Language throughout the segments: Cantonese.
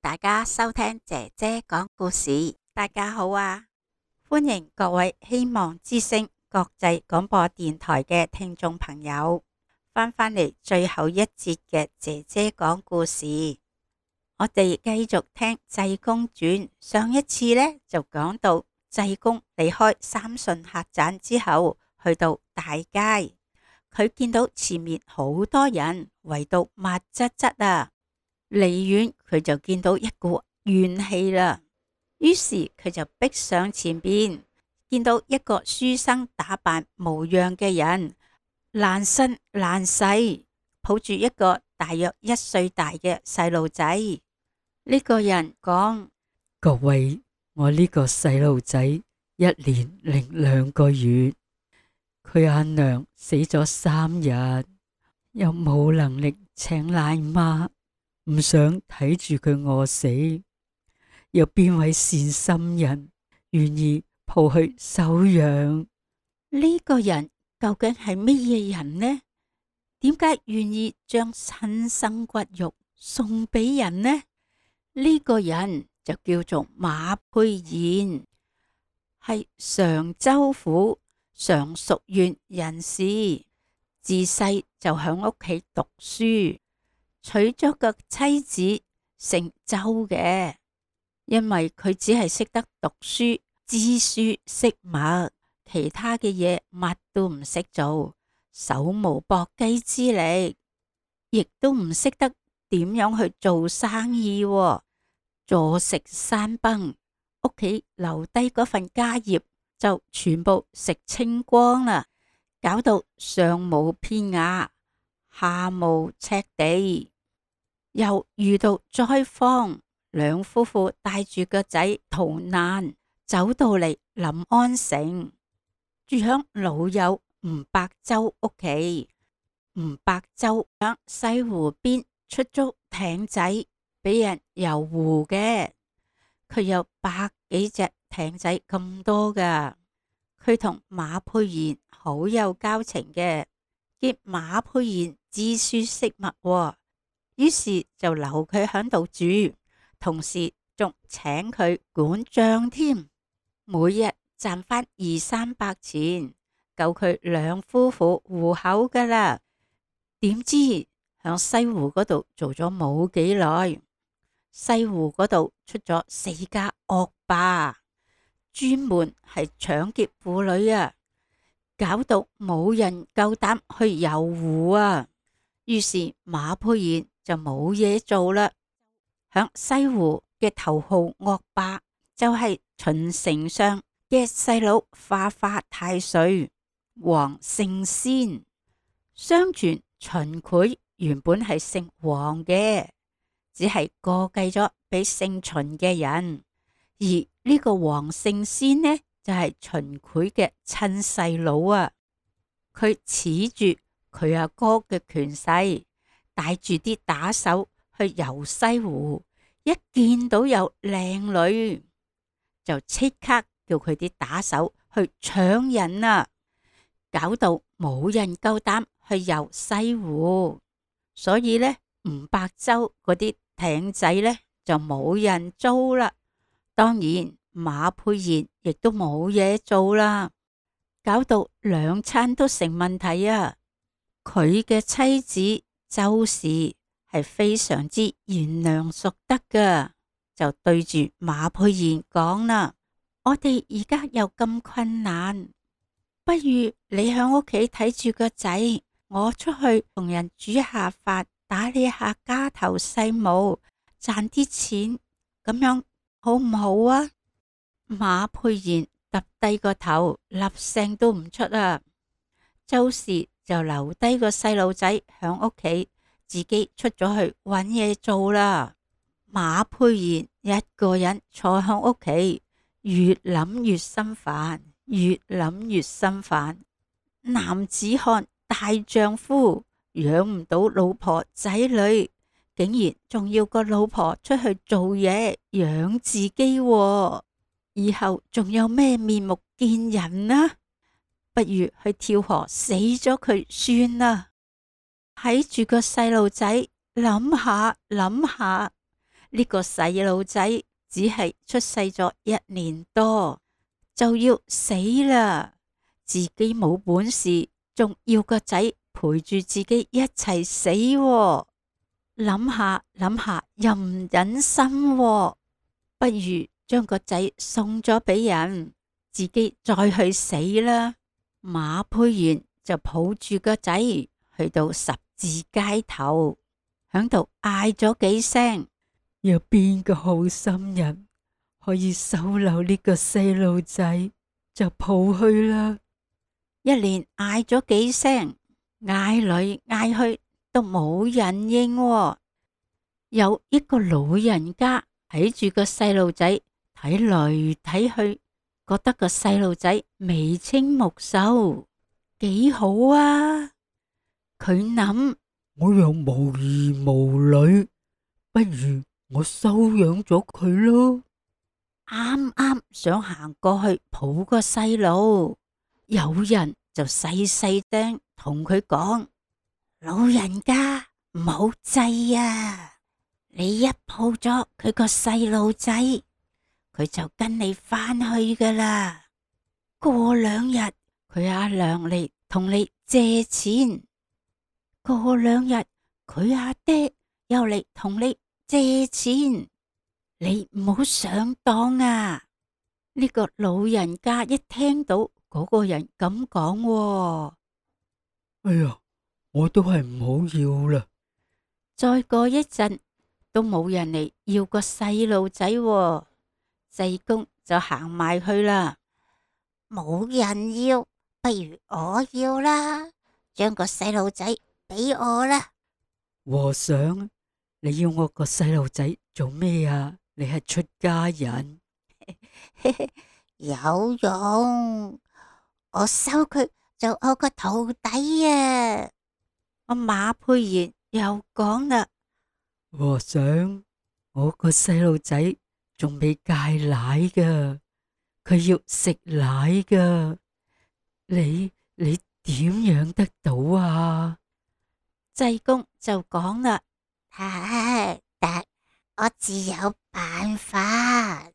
大家收聽姐姐講故事。大家好啊，歡迎各位希望之聲國際廣播電台嘅聽眾朋友翻嚟最後一節嘅姐姐講故事。我哋繼續聽濟公傳。上一次呢，就講到濟公離開三順客棧之後，去到大街，佢見到前面好多人圍到密質質啊，離遠佢就見到一股怨氣啦，於是佢就逼上前邊，見到一個書生打扮無恙嘅人，爛身爛世，抱住一個大約1歲大嘅細路仔。呢個人講：各位，我呢個細路仔1年零2個月，佢阿娘死咗3日，又冇能力請奶媽，唔想睇住佢餓死，有邊位善心人願意抱去收養？呢個人究竟係乜嘢人呢？點解願意將親生骨肉送俾人呢？呢個人就叫做馬沛賢，係常州府常熟縣人士，自細就響屋企讀書，娶咗個妻子姓周嘅。因為佢只係識得讀書、知書識墨，其他嘅嘢乜都唔識做，手無縛雞之力，亦都唔識得點樣去做生意，坐食山崩，屋企留低嗰份家業就全部食清光啦，搞到上無片瓦，下無尺地，又遇到災荒，兩夫婦帶住個仔逃難，走到嚟臨安城，住響老友吳伯周屋企。吳伯周響西湖邊出租艇仔俾人遊湖嘅，佢有100幾隻艇仔咁多噶。佢同馬沛賢好有交情嘅，見馬沛賢知書識墨，於是就留佢響度住，同時仲請佢管賬添，每日賺返200-300錢，夠佢兩夫婦糊口噶啦。點知響西湖嗰度做咗冇幾耐，西湖嗰度出咗4家惡霸，專門係搶劫婦女啊，搞到冇人夠膽去遊湖啊。於是馬沛賢就冇嘢做啦。響西湖嘅頭號惡霸就係秦丞相嘅細佬化化太歲黃勝仙。相傳秦檜原本係姓黃嘅，只係過繼咗俾姓秦嘅人，而呢個黃勝仙呢就係秦檜嘅親細佬啊。佢恃住佢阿哥嘅權勢，帶住啲打手去遊西湖，一見到有靚女就即刻叫佢啲打手去搶人啊，搞到冇人夠膽去遊西湖，所以呢，吳伯周嗰啲艇仔呢就冇人租啦。當然馬沛賢亦都冇嘢做啦，搞到2餐都成問題啊。佢嘅妻子周氏係非常之賢良淑德噶，就對住馬沛賢講啦：我哋而家又咁困難，不如你響屋企睇住個仔，我出去同人煮下飯，打理下家頭細務，賺啲錢，咁樣好唔好啊？馬沛賢揼低個頭，粒聲都唔出啊。周氏就留低個細路仔響屋企，自己出咗去搵嘢做啦。馬沛賢一個人坐響屋企，越諗越心煩，越諗越心煩。男子漢大丈夫，養唔到老婆仔女，竟然仲要個老婆出去做嘢養自己喎，以後仲有咩面目見人啊？不如去跳河死咗佢算啦。睇住個細路仔，諗下諗下，呢個細路仔只係出世咗1年多就要死啦，自己冇本事，仲要個仔陪住自己一齊死喎。諗下諗下又唔忍心喎，不如將個仔送咗俾人，自己再去死啦。馬佩賢就抱住個仔去到十字街頭，響度嗌咗幾聲，有邊個好心人可以收留呢個細路仔，就抱去啦。一連嗌咗幾聲，嗌嚟嗌去都冇人應喎。有一個老人家睇住個細路仔，睇嚟睇去，覺得個細路仔眉清目秀，幾好啊。佢諗，我又無兒無女，不如我收養咗佢咯。啱啱想行過去抱個細路，有人就細細聲同佢講：老人家唔好制啊！你一抱咗佢個細路仔，佢就跟你返去噶啦。過2日佢阿娘嚟同你借錢，過2日佢阿爹又嚟同你借錢，你唔好上當啊！呢個老人家一聽到嗰個人咁講，哎呀，我都係唔好要啦。再過一陣都冇人嚟要個細路仔，濟公就行埋去啦。冇人要，不如我要啦，將個細路仔俾我啦。和尚，你要我個細路仔做咩啊？你係出家人。有用，我收佢做我個徒弟啊！我馬佩賢又講啦，和尚，我個細路仔仲未戒奶噶，佢要食奶噶，你點養得到啊？濟公就講啦，得，我自有辦法。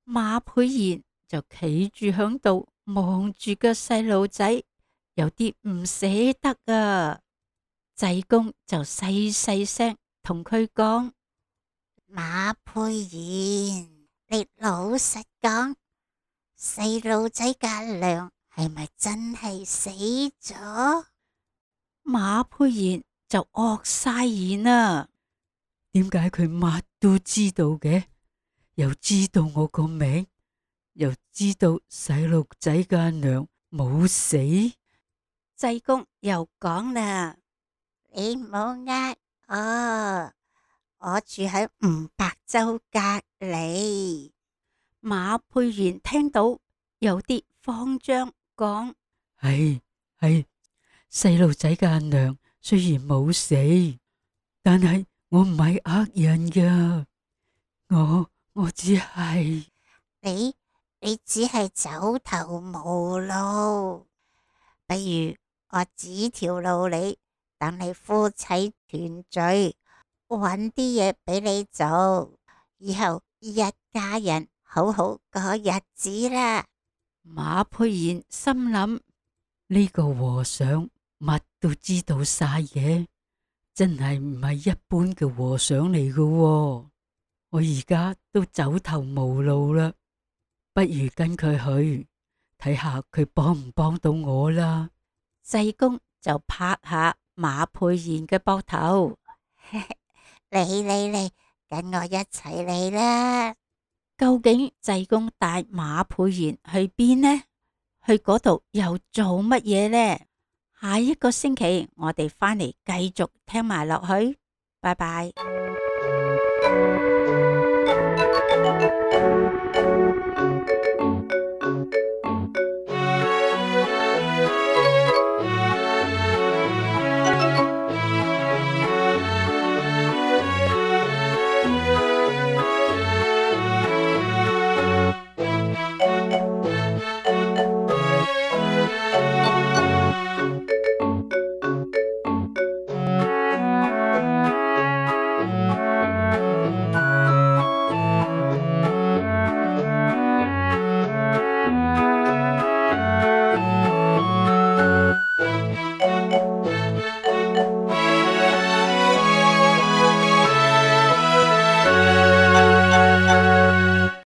馬佩賢就企住響度望住個細路仔，有啲唔捨得啊。濟公就細細聲同佢講：馬佩賢，你老實講，細路仔嘅阿娘係咪真係死咗？馬佩賢就愕晒言啊！點解佢乜都知道嘅？又知道我個名，又知道細路仔嘅阿娘冇死。濟公又講啦，你唔好我住喺吳伯州隔籬。馬佩賢聽到有啲慌張，講：係細路仔嘅阿娘雖然冇死，但係我唔係呃人噶，我只係你只係走投無路，不如我指條路你，等你夫妻團聚，搵啲嘢俾你做，以後一家人好好過日子啦。馬佩賢心諗，呢個和尚乜都知道晒嘅，真係唔係一般嘅和尚嚟嘅喎。我而家都走投無路啦，不如跟佢去睇下佢幫唔幫到我啦。濟公就拍下馬佩賢嘅膊頭，嚟，跟我一齊嚟啦！究竟濟公帶馬佩賢去邊呢？去嗰度又做乜嘢呢？下一個星期我哋返嚟繼續聽埋落去，拜拜。